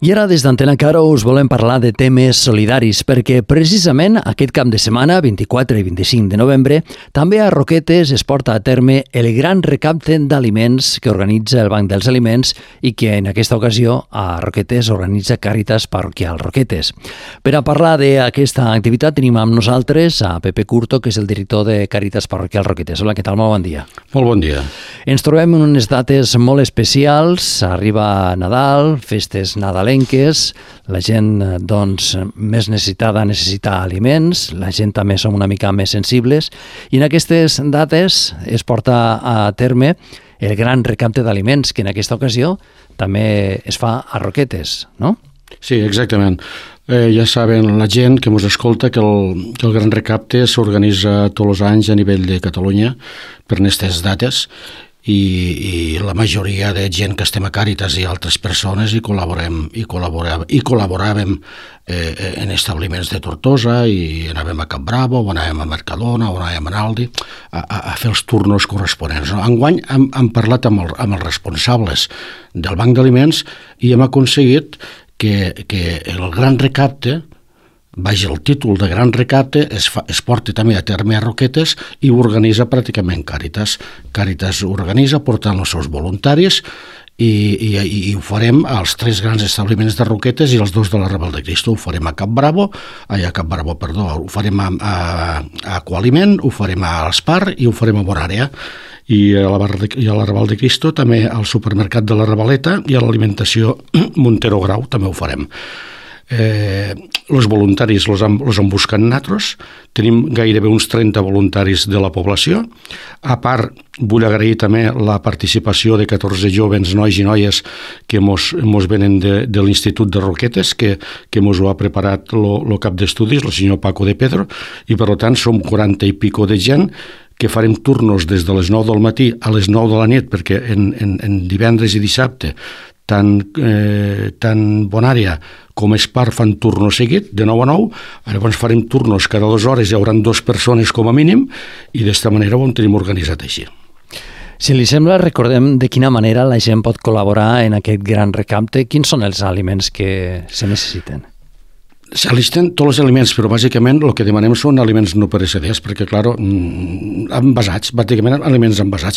I ara des d'Antena Caro us volem parlar de temes solidaris perquè precisament aquest cap de setmana, 24 i 25 de novembre, també a Roquetes es porta a terme el gran recapte d'aliments que organitza el Banc dels Aliments i que en aquesta ocasió a Roquetes organitza Càritas Parroquial Roquetes. Per a parlar d'aquesta activitat tenim amb nosaltres a Pepe Curto, que és el director de Càritas Parroquial Roquetes. Hola, què tal? Molt bon dia. Molt bon dia. Ens trobem en unes dates molt especials. Arriba Nadal, festes nadalenques, la gent doncs, més necessitada necessita aliments, la gent també som una mica més sensibles i en aquestes dates es porta a terme el gran recapte d'aliments que en aquesta ocasió també es fa a Roquetes, no? Sí, exactament. Ja saben la gent que ens escolta que el gran recapte s'organitza tots els anys a nivell de Catalunya per aquestes dates i la majoria de gent que estem a Càritas i altres persones hi col·laboràvem en establiments de Tortosa i anàvem a Cap Bravo, o anàvem a Mercadona, o anàvem a Aldi a fer els turnos corresponents. Enguany hem parlat amb els responsables del Banc d'Aliments i hem aconseguit que el gran recapte, el títol de gran recapte, es porta també a terme a Roquetes i ho organitza pràcticament Càritas. Càritas organitza portant els seus voluntaris i ho farem als 3 grans establiments de Roquetes i els 2 de la Raval de Cristo. Ho farem a Cap Bravo, ho farem a Aqualiment, ho farem a l'Espar i ho farem a Bonària. I a la Raval de Cristo també al supermercat de la Ravaleta i a l'alimentació Montero Grau també ho farem. Els voluntaris els hem buscat nosaltres, tenim gairebé uns 30 voluntaris de la població. A part, vull agrair també la participació de 14 joves nois i noies que mos venen de l'Institut de Roquetes, que mos ho ha preparat el cap d'estudis, el senyor Paco de Pedro, i per tant som 40 i pico de gent que farem turnos des de les 9 del matí a les 9 de la nit, perquè en divendres i dissabte tant Bonària com Espar fan turno seguit, de 9 a 9, llavors farem turnos cada 2 hores, hi haurà 2 persones com a mínim, i d'esta manera ho tenim organitzat així. Si li sembla, recordem de quina manera la gent pot col·laborar en aquest gran recapte. Quins són els aliments que se necessiten? S'allisten tots els aliments, però bàsicament el que demanem són aliments no pereceders, perquè, clar, envasats, bàsicament aliments envasats.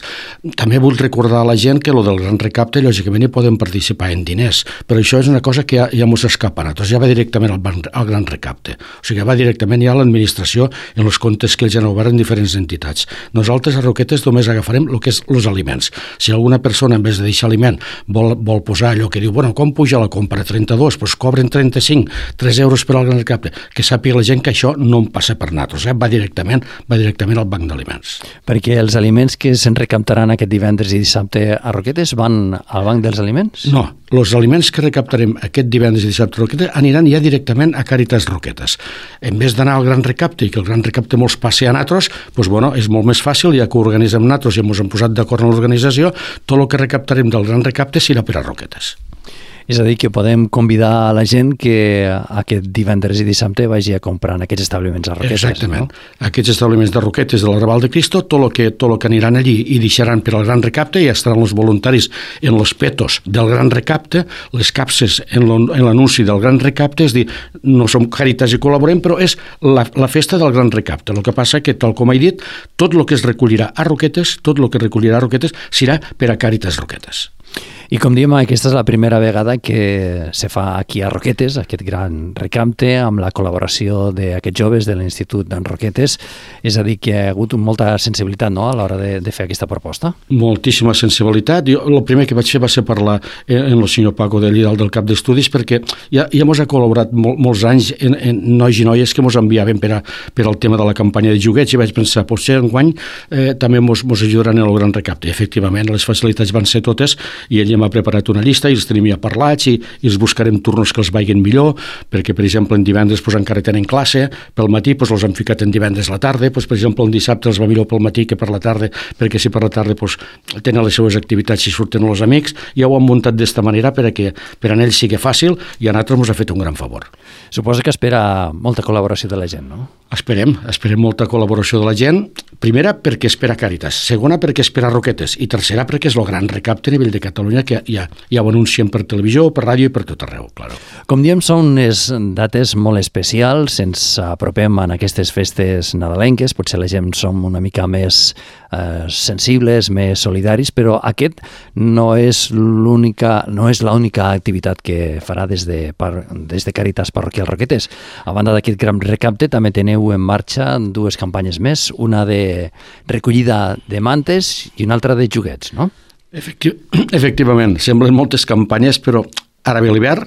També vull recordar a la gent que el del gran recapte, lògicament, hi poden participar en diners, però això és una cosa que ja mos escapa. Doncs ja va directament al gran recapte. O sigui, va directament ja a l'administració en els comptes que ells han obert en diferents entitats. Nosaltres a Roquetes només agafarem el que és els aliments. Si alguna persona, en vez de deixar aliment, vol posar allò que diu, bueno, com puja la compra? 32, doncs cobren 35, 3 euros per al gran recapte, que sàpiga la gent que això no en passa per nosaltres, va directament al Banc d'Aliments. Perquè els aliments que se'n recaptaran aquest divendres i dissabte a Roquetes van al Banc dels Aliments? No, els aliments que recaptarem aquest divendres i dissabte a Roquetes aniran ja directament a Càritas Roquetes. En vez d'anar al gran recapte i que el gran recapte mos passi a nosaltres, doncs, bueno, és molt més fàcil, ja que ho organitzem nosaltres i ens hem posat d'acord en l'organització, tot el que recaptarem del gran recapte serà per a Roquetes. És a dir, que podem convidar a la gent que aquest divendres i dissabte vagi a comprar en aquests establiments a Roquetes. Exactament. No? Aquests establiments de Roquetes de la Raval de Cristo, tot el que aniran allí i deixaran per al gran recapte, ja estaran els voluntaris en els petos del gran recapte, les capses en l'anunci del gran recapte, és dir, no som Càritas i col·laborem, però és la festa del gran recapte. El que passa que, tal com he dit, tot el que es recollirà a Roquetes, serà per a Càritas Roquetes. I com diem, aquesta és la primera vegada que se fa aquí a Roquetes, aquest gran recapte, amb la col·laboració d'aquests joves de l'Institut d'en Roquetes. És a dir, que hi ha hagut molta sensibilitat, no?, a l'hora de fer aquesta proposta. Moltíssima sensibilitat. Jo el primer que vaig fer va ser parlar amb el senyor Paco de Llidal del cap d'estudis, perquè ja mos ha col·laborat molts anys en nois i noies que mos enviaven per al tema de la campanya de joguets, i vaig pensar, potser enguany també mos ajudaran en el gran recapte. Efectivament, les facilitats van ser totes, i ell m'ha preparat una llista i els tenim ja parlats i els buscarem turnos que els vagin millor, perquè, per exemple, en divendres encara tenen classe, pel matí els han ficat en divendres a la tarda, per exemple, en dissabte els va millor pel matí que per la tarda, perquè si per la tarda tenen les seves activitats i surten els amics. Ja ho han muntat d'esta manera perquè per a ells sigui fàcil, i a nosaltres ens ha fet un gran favor. Suposo que espera molta col·laboració de la gent, no? Esperem molta col·laboració de la gent. Primera, perquè espera Càritas. Segona, perquè espera Roquetes. I tercera, perquè és el gran recapte a nivell de Catalunya que ja ho anuncien per televisió, per ràdio i per tot arreu, claro. Com diem, són unes dates molt especials, ens apropem en aquestes festes nadalenques, potser la gent som una mica més sensibles, més solidaris, però aquest no és l'única activitat que farà des de Càritas Parroquial Roquetes. A banda d'aquest gran recapte, també teniu en marxa dues campanyes més, una de recollida de mantes i una altra de joguets, no? Efectivament, semblen moltes campanyes, però ara ve l'hivern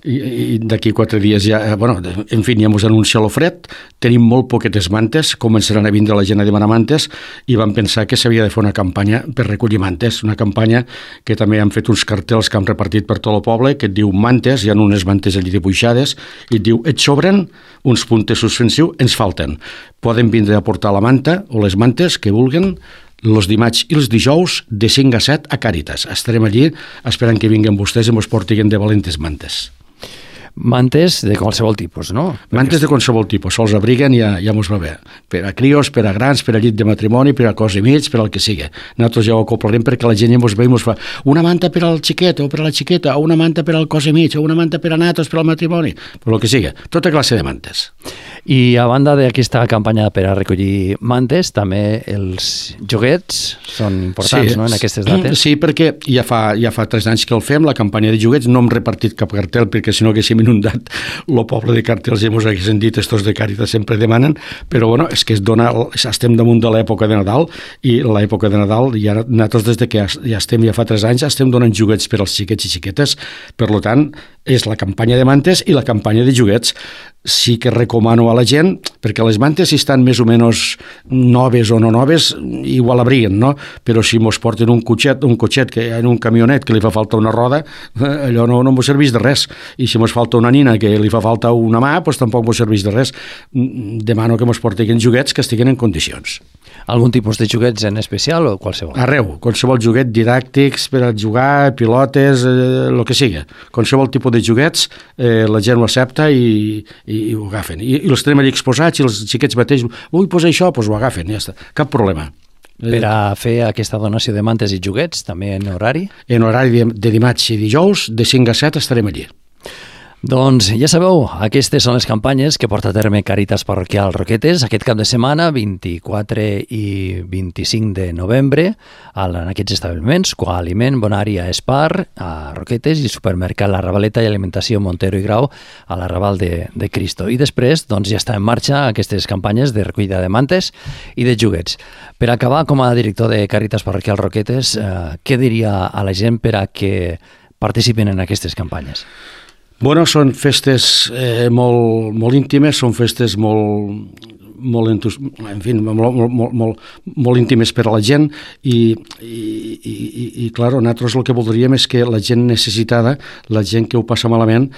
i d'aquí 4 dies ja, en fi, ja ens anuncia el fred, tenim molt poquetes mantes, començaran a vindre la gent a demanar mantes i vam pensar que s'havia de fer una campanya per recollir mantes, una campanya que també han fet uns cartells que han repartit per tot el poble, que et diu mantes, hi ha unes mantes allí dibuixades, i et diu, et sobren uns puntes suspensius, ens falten. Poden vindre a portar la manta o les mantes que vulguen, els dimarts i els dijous de 5 a 7 a Càritas. Estarem allí esperant que vinguin vostès i ens portin de valentes mantes. Mantes de qualsevol tipus, no? Mantes de qualsevol tipus, sols abriguen i ja mos va bé. Per a crios, per a grans, per a llit de matrimoni, per a cos i mig, per al que sigui. Nosaltres ja ho acoplarem perquè la gent ja mos ve i mos fa una manta per al xiquet o per a la xiqueta, o una manta per al cos i mig, o una manta per a natos, per al matrimoni, per al que sigui. Tota classe de mantes. I a banda d'aquesta campanya per a recollir mantes, també els joguets són importants, no?, en aquestes dates. Sí, perquè ja fa 3 anys que el fem, la campanya de joguets, no hem repartit cap cartel perquè si no haguéssim inundat el poble de cartells i ens haguessin dit estos de Càritas sempre demanen, però és que estem damunt de l'època de Nadal i l'època de Nadal ja nosaltres des de que ja fa 3 anys estem donant joguets per als xiquets i xiquetes, per tant és la campanya de mantes i la campanya de joguets. Sí que recomano a la gent, perquè les mantes si estan més o menys noves o no noves, igual abriguen, no? Però si mos porten un cotxet que en un camionet que li fa falta una roda, allò no mos serveix de res. I si mos falta una nina que li fa falta una mà, doncs tampoc mos serveix de res. Demano que mos portin joguets que estiguin en condicions. Algun tipus de joguets en especial o qualsevol? Arreu, qualsevol joguet didàctics per a jugar, pilotes, el que sigui. Qualsevol tipus de joguets, la gent ho accepta i ho agafen. I els tenim allà exposats i els xiquets mateix, vull posar això, doncs ho agafen, ja està. Cap problema. Per a fer aquesta donació de mantes i joguets, també en horari? En horari de dimarts i dijous, de 5 a 7 estarem allí. Doncs ja sabeu, aquestes són les campanyes que porta a terme Càritas Parroquial Roquetes aquest cap de setmana, 24 i 25 de novembre, en aquests establiments, Coaliment, Bonària, Espar, a Roquetes, i Supermercat La Ravaleta i Alimentació Montero i Grau a la Raval de Cristo. I després ja està en marxa aquestes campanyes de recollida de mantes i de joguets. Per acabar, com a director de Càritas Parroquial Roquetes, què diria a la gent per a que participen en aquestes campanyes? Són festes molt íntimes, són festes molt íntimes per a la gent i clar, nosaltres el que voldríem és que la gent necessitada, la gent que ho passa malament,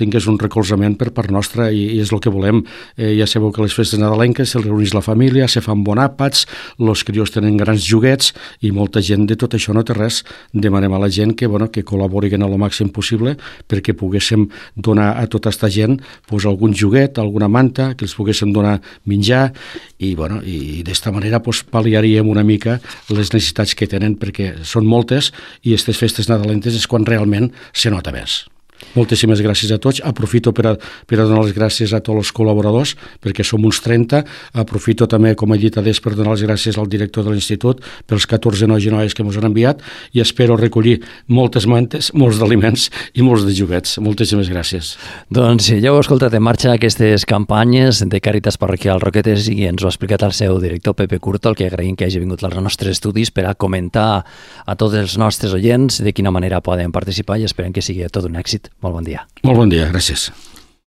tingués un recolzament per part nostra i és el que volem. Ja sabeu que les festes nadalenques se reuneix la família, se fan bon àpats, els crios tenen grans joguets i molta gent de tot això no té res. Demanem a la gent que col·laborin al màxim possible perquè poguéssim donar a tota aquesta gent algun joguet, alguna manta, que els poguéssim donar menjar i d'esta manera pal·liaríem una mica les necessitats que tenen perquè són moltes i aquestes festes nadalentes és quan realment se nota més. Moltíssimes gràcies a tots. Aprofito per a donar les gràcies a tots els col·laboradors, perquè som uns 30. Aprofito també, com he dit adés, per donar les gràcies al director de l'institut pels 14 nois i noies que ens han enviat i espero recollir moltes mantes, molts d'aliments i molts de joguets. Moltíssimes gràcies. Doncs ja heu escoltat en marxa aquestes campanyes de Càritas Parroquial Roquetes i ens ho ha explicat el seu director Pepe Curto, el que agraïm que hagi vingut als nostres estudis per a comentar a tots els nostres oients de quina manera poden participar i esperem que sigui tot un èxit. Molt bon dia. Molt bon dia, gràcies.